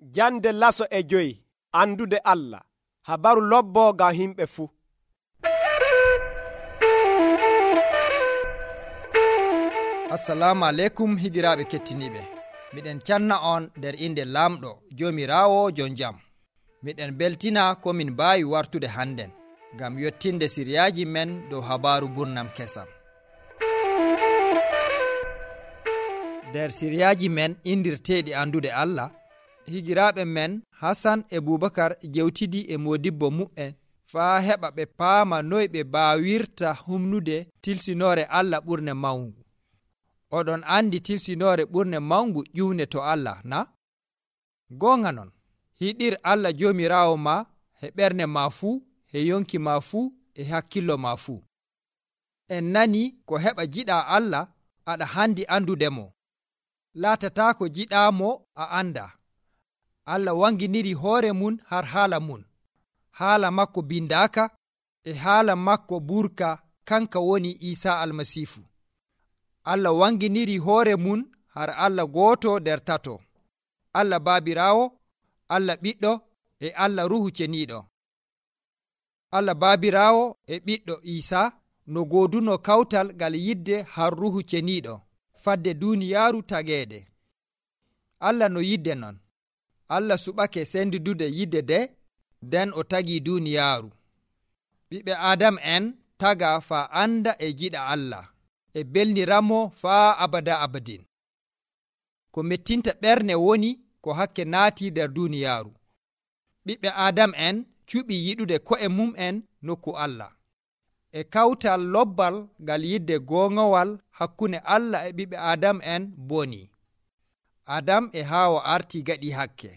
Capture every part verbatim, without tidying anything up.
Jande laso e joyi andude Allah. Habaru lobbo ngam himɓe fuu. Assalamu aleykum higiraaɓe kettiniiɓe. Miɗen canna on nder inde Laamɗo Joomiraawo jon jam. Miɗen beltina ko min mbaawi wartude hannden ngam yottinde siriyaaji men dow habaaru burnam kesam. Nder siriyaaji men indirteeɗi andude Allah, higiraaɓe men Hasan e Bubakar jewtidi e moodibbo mu'en faa heɓa ɓe paama noy ɓe baawirta humnude tilsinoore Allah ɓurne mawngu. Oɗon andi tilsinoore ɓurne mawngu ƴiwne to Allah, na? Goonga non, hiɗir Allah Joomiraawo ma e ɓernde ma fuu, e yonki ma fuu, e hakkillo ma fuu. En nani ko heɓa jiɗaa Allah, aɗa handi andudemo. Laatataa ko jiɗaamo a anda. Allah wanginiri hoore mun har haala mun. Haala makko bindaaka e haala makko burka, kanka woni Iisaa Almasiifu. Allah wanginiri hoore mun har Allah gooto nder tato. Allah Baabiraawo, Allah Ɓiɗɗo e Allah Ruhu Ceniiɗo. Allah Baabiraawo e Ɓiɗɗo Iisaa no gooduno kawtal ngal yidde har Ruhu Ceniiɗo fadde duuniyaaru tageede. Allah no yidde non. Allah suɓake sendudude yidde de, nden o tagii duuniyaaru. Ɓiɓɓe Adam en taga faa anda e jiɗa Allah e belniramo faa abada abadin. Ko mettinta ɓerne woni ko hakke naati nder duuniyaaru. Ɓiɓɓe Adam en cuɓi yiɗude ko'e mum'en nokku Allah. E kawtal lobbal ngal yidde goongowal hakkunde Allah e ɓiɓɓe Adam en boni. Adam e Haawa arti gaɗi hakke.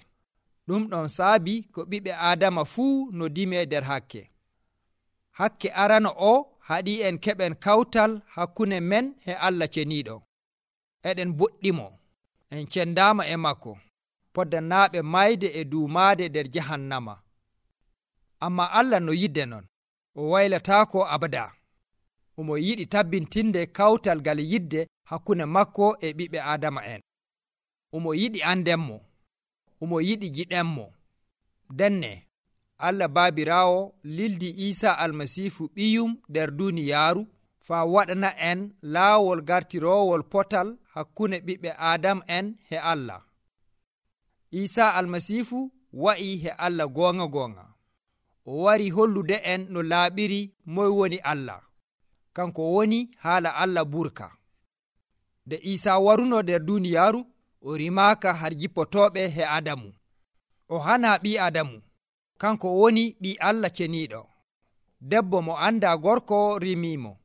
Ɗum ɗon saabi ko ɓiɓɓe Adama fuu no dime nder hakke. Hakke arano o haɗi en keɓen kawtal hakkunde men e Allah ceniiɗo. Eɗen boɗɗimo, en cendaama e makko, poddanaaɓe mayde e duumaade nder jahannama. Amma Allah no yidde non, o waylataako abada. Omo yiɗi tabbintinde kawtal ngal yidde hakkunde makko e ɓiɓɓe Adama en. Omo yiɗi andenmo, omo yiɗi jiɗenmo. Denne, Allah Baabiraawo lildi Iisaa Almasiifu ɓiyum nder duuniyaaru faa waɗana en laawol gartiroowol potal hakkunde ɓiɓɓe Adam en e Allah. Iisaa Almasiifu wa'i e Allah goonga goonga. O wari hollude en no laaɓiri moy woni Allah. Kanko woni haala Allah burka. Nde Iisaa waruno nder duuniyaaru, o rimaaka har jippotooɓe e Adamu. O hana ɓii Adamu. Kanko woni ɓii Allah ceniiɗo. Debbo mo anda gorko rimiimo.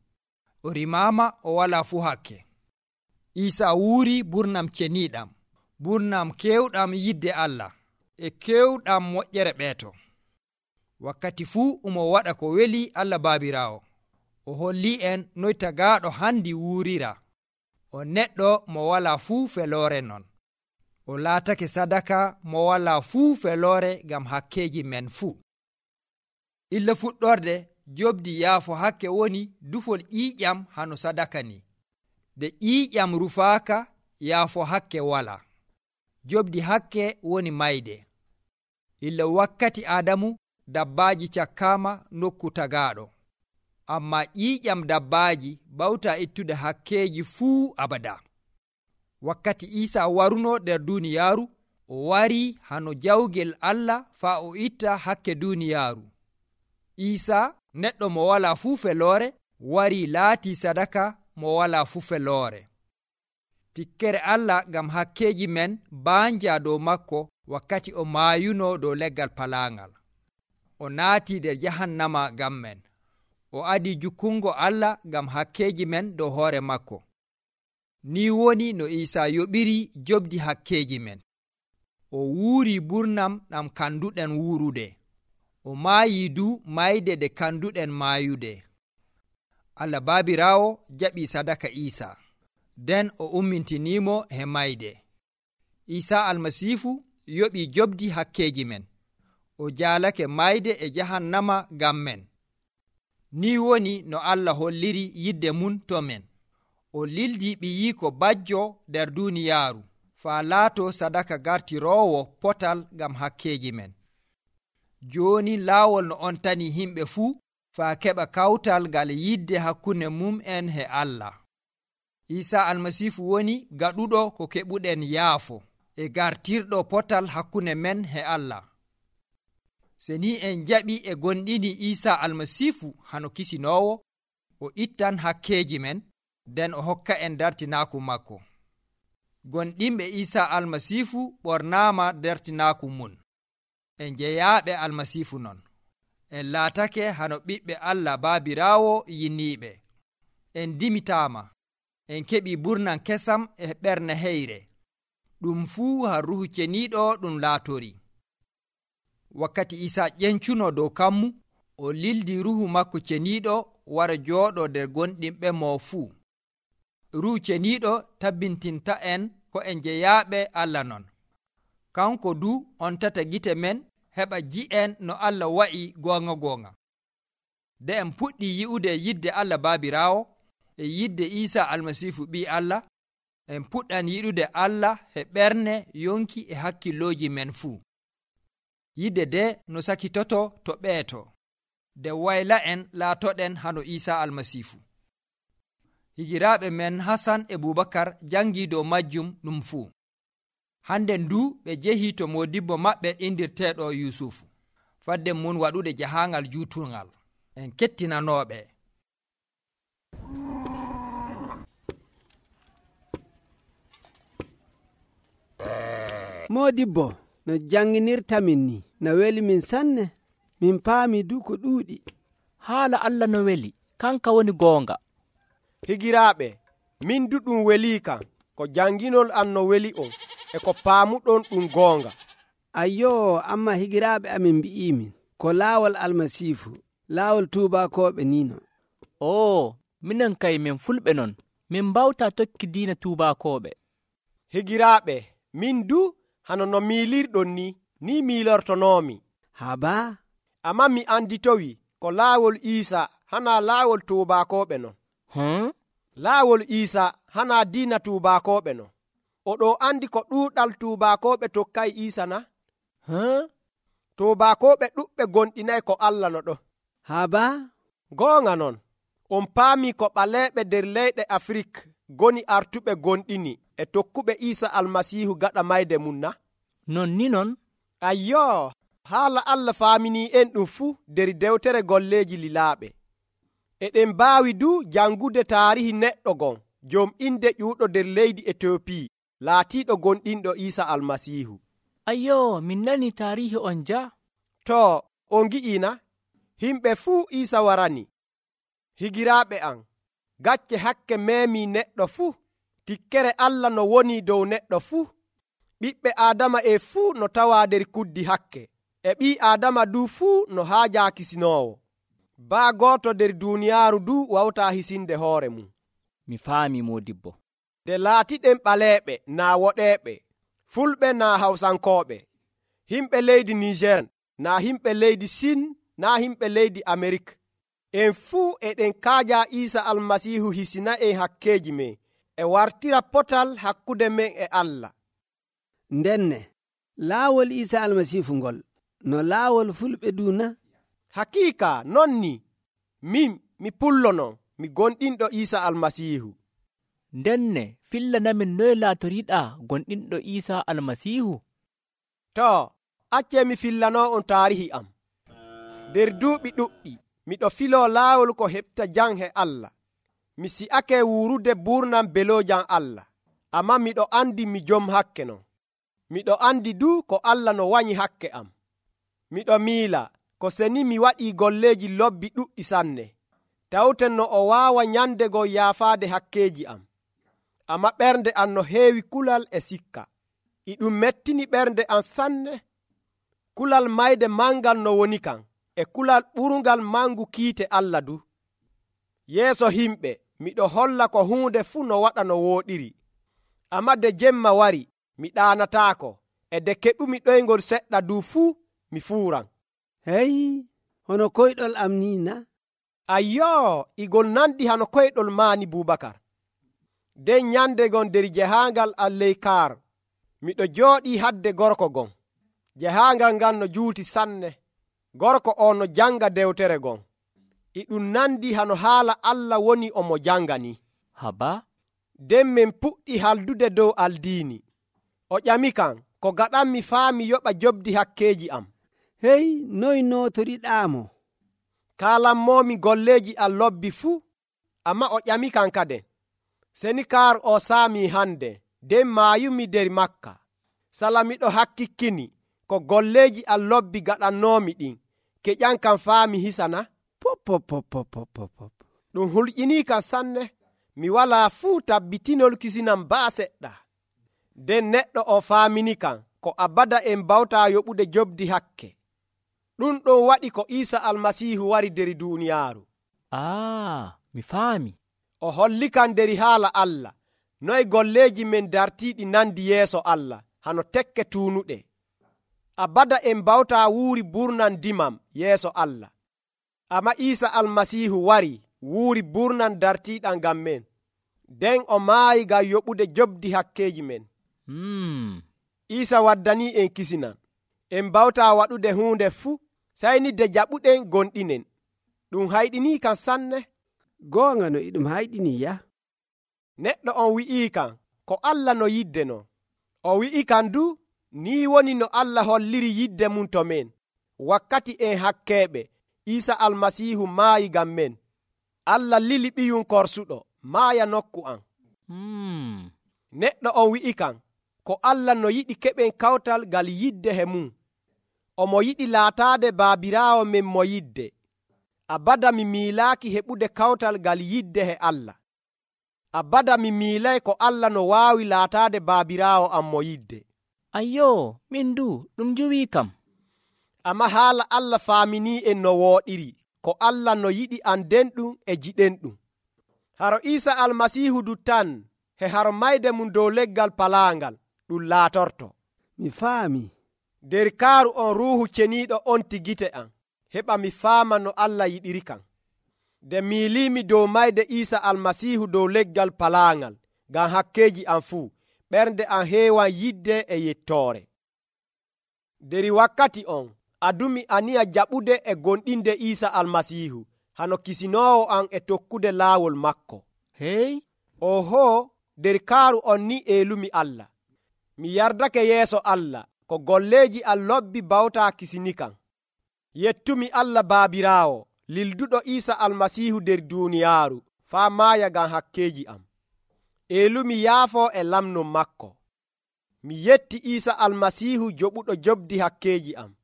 O rimaama o walaa fuu hakke. Iisaa wuuri burnam ceniiɗam, burnam kewɗam yidde Allah e kewɗam moƴƴere ɓeeto. Wakkati fuu omo waɗa ko weli Allah Baabiraawo. O holli en noy tagaaɗo handi wuurira. O neɗɗo mo walaa fuu feloore non. O laatake sadaka mo walaa fuu feloore ngam hakkeeji men fuu. Illa fuɗɗorde jobdi yaafo hakke woni dufol ƴiiƴam hano sadaka ni. Nde ƴiiƴam rufaaka, yaafo hakke walaa. Jobdi hakke woni mayde. Illa wakkati Adamu, dabbaaji cakkaama nokku tagaaɗo. Amma ƴiiƴam dabbaaji bawta ittude hakkeeji fuu abada. Wakkati Iisaa waruno nder duuniyaaru, o wari hano jawgel Allah faa o itta hakke duuniyaaru. Iisaa, neɗɗo mo walaa fuu feloore, wari laati sadaka mo walaa fuu feloore. Tikkere Allah ngam hakkeeji men baanja dow makko wakkati o maayuno dow leggal palaangal. O naati nder jahannama ngam men. O adi jukkungo Allah ngam hakkeeji men dow hoore makko. Ni woni no Iisaa yoɓiri jobdi hakkeeji men. O wuuri burnam ɗam kanduɗen wuurude. O maayi du mayde de kanduɗen maayude. Allah Baabiraawo jaɓi sadaka Iisaa, nden o ummintiniimo he mayde. Iisaa Almasiifu yoɓi jobdi hakkeeji men. O jaalake mayde e jahannama ngam men. Ni woni no Allah holliri yidde mun to men. O lildi ɓiyiiko bajjo nder duuniyaaru faa laato sadaka gartiroowo potal ngam hakkeeji men. Jooni laawol no on tani himɓe fuu faa keɓa kawtal ngal yidde hakkunde mum'en e Allah. Iisaa Almasiihu woni gaɗuɗo ko keɓuɗen yaafo e gartirɗo potal hakkunde men e Allah. Se ni en jaɓi e gonɗini Iisaa Almasiihu hano kisinoowo, o ittan hakkeeji men, nden o hokka en dartinaaku makko. Gonɗinɓe Iisaa Almasiihu ɓornaama dartinaaku mun. En jeyaaɓe Almasiihu non. En laatake hano ɓiɓɓe Allah baabiraawo yinniiɓe. En dimitaama. En keɓi burnan kesam e ɓernde heyre. Ɗum fuu ha Ruhu Ceniiɗo ɗum laatori. Wakkati Iisaa ƴencuno dow kammu, o lildi Ruhu makko Ceniiɗo wara jooɗo nder gonɗinɓe mo fuu. Ruhu Ceniiɗo tabbintinta en ko en jeyaaɓe Allah non. Kanko du on tata gite men heɓa ji'en no Allah wa'i goonga goonga. De en puɗɗi yi'ude yidde Allah baabiraawo e yidde Iisaa Almasiihu ɓii Allah, en puɗɗan yiɗude Allah e ɓernde yonki e hakkillooji men fuu. Yidde de no sakitoto to ɓeeto, de wayla en laatoɗen hano Iisaa Almasiihu. Higiraaɓe men Hasan e Bubakar jangii dow majjum ɗum fuu. Hande ndu ɓe jehi to modibbo maɓɓe indirteeɗo Yusufu. Fadde mun waɗude jahaangal juutungal. En kettinanooɓe. Modibbo, no janginirtamin ni no weli min sanne, min paami du ko ɗuuɗi. Haala Allah no weli, kanka woni goonga. Higiraaɓe, min du ɗum welii kan, ko janginol an no weli on, e ko paamuɗon ɗum goonga. Ayyoo, amma higiraaɓe amin mbi'imin, ko laawol Almasiihu, laawol tuubakooɓe nino. Oo, minen kay min fulɓe non, min mbawta tokki diina tuubakooɓe. Higiraaɓe, min du hano no miilirɗon ni, ni miilortonoomi. Habaa? Amma mi anditowi ko laawol Iisa hana laawol tuubakooɓe non. Hmm? Laawol Iisa hana diina tuubakooɓe non. Oɗo andi ko ɗuuɗal tuubakooɓe tokkay Iisa na? Huh? Tuubakooɓe ɗuɓɓe gonɗinay ko Allah no ɗo. Habaa? Goonga non, on paami ko ɓaleeɓe nder leyɗe Afrik goni artuɓe gonɗini e tokkuɓe Iisa Almasiihu gaɗa mayde mum na? Non ni non? Ayyoo, haala Allah faaminii en ɗum fuu nder dewtere golleeji lilaaɓe. Eɗen mbaawi du jangude taarihi neɗɗo gon jom inde ƴuuɗo nder leydi Etiopi laatiiɗo gonɗinɗo Iisa Almasiihu. Ayyoo, min nani taarihi on ja? To, on gi'ina, himɓe fuu Iisa warani. Higiraaɓe am, gacce hakke meemii neɗɗo fuu, tikkere Allah no woni dow neɗɗo fuu. Ɓiɓɓe Aadama e fuu no tawaa nder kuddi hakke, e ɓii Aadama du fuu no haajaa kisinoowo. Baa gooto nder duuniyaaru du wawtaa hisinde hoore mum. Mi faami modibbo. De laatiɗen ɓaleeɓe naa woɗeeɓe, fulɓe naa hawsankooɓe, himɓe leydi Niger naa himɓe leydi Sin naa himɓe leydi Amerik. En fuu eɗen kaaja Iisa Almasiihu hisina en hakkeeji men e wartira potal hakkude men e Allah. Ndenne, laawol Iisa Almasiihu ngol no laawol fulɓe duuna? Hakiika non ni, min mi pullonon mi gonɗinɗo Iisa Almasiihu. Ndenne, fillanamin noye laatoriɗaa gonɗinɗo Iisa Almasiihu? To, accee mi fillanoo on taarihi am. Nder duuɓi ɗuɗɗi miɗo filoo laawol ko heɓta jam he Allah. Mi si'ake wuurude burnam beloojam Allah, amma miɗo andi mi jom hakke non. Miɗo andi du ko Allah no wanyi hakke am. Miɗo miila ko seni mi waɗii golleeji lobbi ɗuɗɗi sanne, tawten no o waawa nyandego yaafaade hakkeeji am. Amma ɓernde am no heewi kulal e sikka. I ɗum mettini ɓernde am sanne. Kulal mayde mangal no woni kan, e kulal ɓurungal mangu kiite Allah du. Yeeso himɓe miɗo holla ko huunde fuu no waɗa no wooɗiri. Amma de jemma wari, mi ɗaanataako, e de keɓumi ɗoyngol seɗɗa du fuu mi fuuran. Hey, hono koyɗol am ni na? Ayyoo, igol nandi hano koyɗol maani Bubakar. Den nyande gon nder jahaangal Alleykar, miɗo jooɗii hadde gorko gon jahaangal ngal no juuti sanne. Gorko on no janga dewtere gon, e ɗum nandi hano haala Allah woni omo janga ni. haba nden min puɗɗi haldude dow aldiini. O ƴamikam ko gaɗanmi faa mi yoɓa jobdi hakkeeji am. hey noy nootoriɗaamo? Kaalanmomi golleeji am lobbi fuu. Amma o ƴamikam kaden, seni kaaru o saami hande nden maayumi der makka. Sala miɗo hakkikkini ko golleeji am lobbi gaɗannoomi ɗin keƴan kam faa mi hisana. pop pop pop pop pop pop. ɗum hulƴinii kam sanne. Mi walaa fuu tabbitinol kisinam baa seɗɗa. nden neɗɗo o faamini kam ko abada en bawtaa yoɓude jobdi hakke. ɗum ɗon waɗi ko Iisa almasiihu wari der duuniyaaru. aa mi faami. O holli kam der haala Allah noy golleeji men dartiiɗi nandi yeeso Allah hano tekke tuunuɗe. Abada en bawtaa wuuri burnan dimam yeeso Allah. Amma Iisa almasiihu wari wuuri burnan dartiiɗam ngam men. nden o maayi ngam yoɓude jobdi hakkeeji men. hmm. Iisa waddanii en kisinan. En bawtaa waɗude huunde fuu sayni de jaɓuɗen gonɗinen. ɗum hayɗinii kam sanne. goonga no iɗum hayɗinii ya. Neɗɗo on wi'ii kam ko Allah no yidde no. O wi'i kam du nii woni no Allah holliri yidde mum to men wakkati en hakkeeɓe Iisa almasiihu maayi ngam men. Allah lili ɓiyum korsuɗo maaya nokku am. hmm. Neɗɗo on wi'i kam ko Allah no yiɗi keɓen kawtal ngal yidde he mum. Omo yiɗi laataade baabiraawo men mo yidde. Abada mi miilaaki heɓude kawtal ngal yidde he Allah. Abada mi miilay ko Allah no waawi laataade baabiraawo am mo yidde. ayyo min du ɗum juwii kam. Amma haala Allah faaminii en no wooɗiri ko Allah no yiɗi anden ɗum e jiɗen ɗum. Haro Iisa almasiihu du tan he haro mayde mum dow leggal palaangal ɗum laatorto. mi faami. Der kaaru on ruuhu ceniiɗo onti gite am heɓa mi faama no Allah yiɗiri kam. nde miiliimi dow mayde Iisa almasiihu dow leggal palaangal ngam hakkeeji am fuu, ɓernde am heewan yidde e yettoore. Deri wakkati on adumi aniya jaɓude e gonɗinde Iisa almasiihu hano kisinoowo am e tokkude laawol makko. hey oho der kaaru on ni eelumi Allah. Mi yardake yeeso Allah ko golleeji am lobbi bawtaa kisini kam. Yettumi Allah baabiraawo lilduɗo Iisa almasiihu der duuniyaaru faa maaya ngam hakkeeji am. Eelumi yaafoo e lamnon makko. Mi yetti Iisa almasiihu joɓuɗo jobdi hakkeeji am.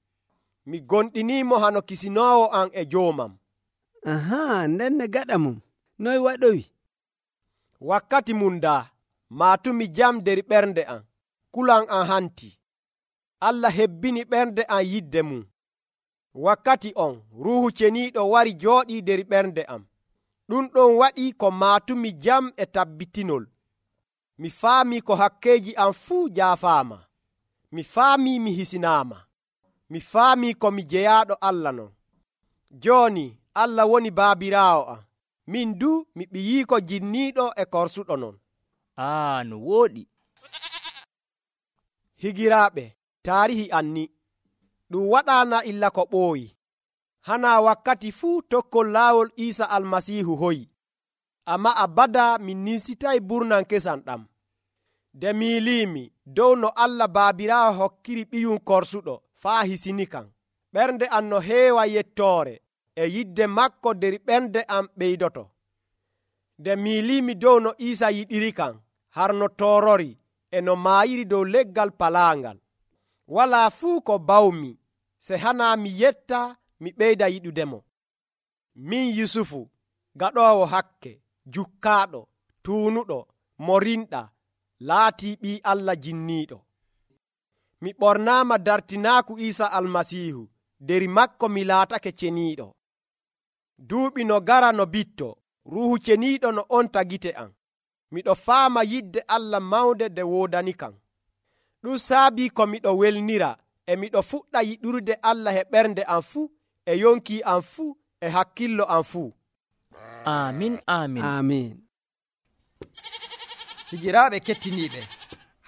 Mi gonɗiniimo hano kisinoowo am e joomam. aha ndenne gaɗa mum noy waɗowi? Wakkati mum daa maatumi jam der ɓernde am, kulan am hanti. Allah hebbini ɓernde am yidde mum. Wakkati on ruuhu ceniiɗo wari jooɗii der ɓernde am. ɗum ɗon waɗi ko maatumi jam e tabbitinol. Mi faami ko hakkeeji am fuu jaafaama. Mi faami mi hisinaama. Mi faami ko mi jeyaaɗo Allah non. Jooni Allah woni baabiraawo am. Min du mi ɓiyiiko jinniiɗo e korsuɗo non. aa no wooɗi. Higiraaɓe, taarihi anni ɗum waɗaana illa ko ɓooyi. Hana wakkati fuu tokkol laawol Iisa almasiihu hoyi. Amma abada min ninsitay burnan kesan ɗam. De miiliimi dow no Allah baabiraawo hokkiri ɓiyum korsuɗo faa hisini kam. Ɓernde am no heewa yettoore e yidde makko der ɓernde am ɓeydoto. De miiliimi dow no Iisa yiɗiri kam har no toorori e no maayiri dow leggal palaangal. Walaa fuu ko bawmi se hana mi yetta mi ɓeyda yiɗudemo. Min Yusufu, gaɗoowo hakke, jukkaaɗo, tuunuɗo, mo rinɗa, laatii ɓii Allah jinniiɗo. Mi ɓornaama dartinaaku Iisa almasiihu, deri makko mi laatake ceniiɗo. Duuɓi no gara no bitto, ruuhu ceniiɗo no onta gite am. Miɗo faama yidde Allah mawnde nde woodani kam. Ɗum saabii ko miɗo welnira e miɗo fuɗɗa yiɗurde Allah e ɓernde am fuu, e yonki am fuu, e hakkillo am fuu. amin amin amin. higiraaɓe kettiniiɓe,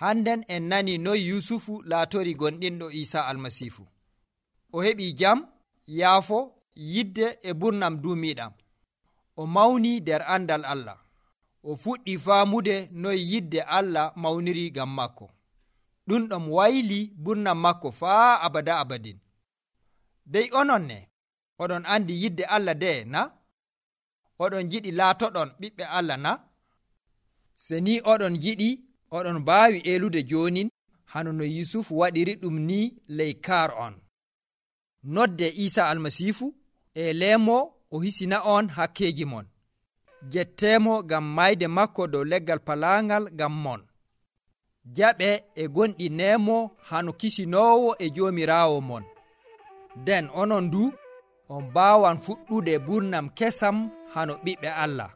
Hannden en nani noy Yusufu laatori gonɗinɗo Iisa almasiifu. O heɓii jam, yaafo, yidde e burnam duumiiɗam. O mawni nder andal Allah. O fuɗɗii faamude noy yidde Allah mawniri ngam makko. Ɗum ɗon wayli burnam makko faa abada abadin. Dey onon ne, oɗon andi yidde Allah de na? Oɗon jiɗi laatoɗon ɓiɓɓe Allah na? Se ni oɗon jiɗi, oɗon mbaawi elude joonin hano no Yusufu waɗiri ɗum ni ley kaar on. Nodde Iisa almasiifu e leemo o hisina on hakkeeji mon. Jetteemo ngam mayde makko dow leggal palaangal ngam mon. Jaɓe e gonɗi neemo hano kisinoowo e joomiraawo mon. Nden onon du on mbaawan fuɗɗude burnam kesam hano ɓiɓɓe Allah.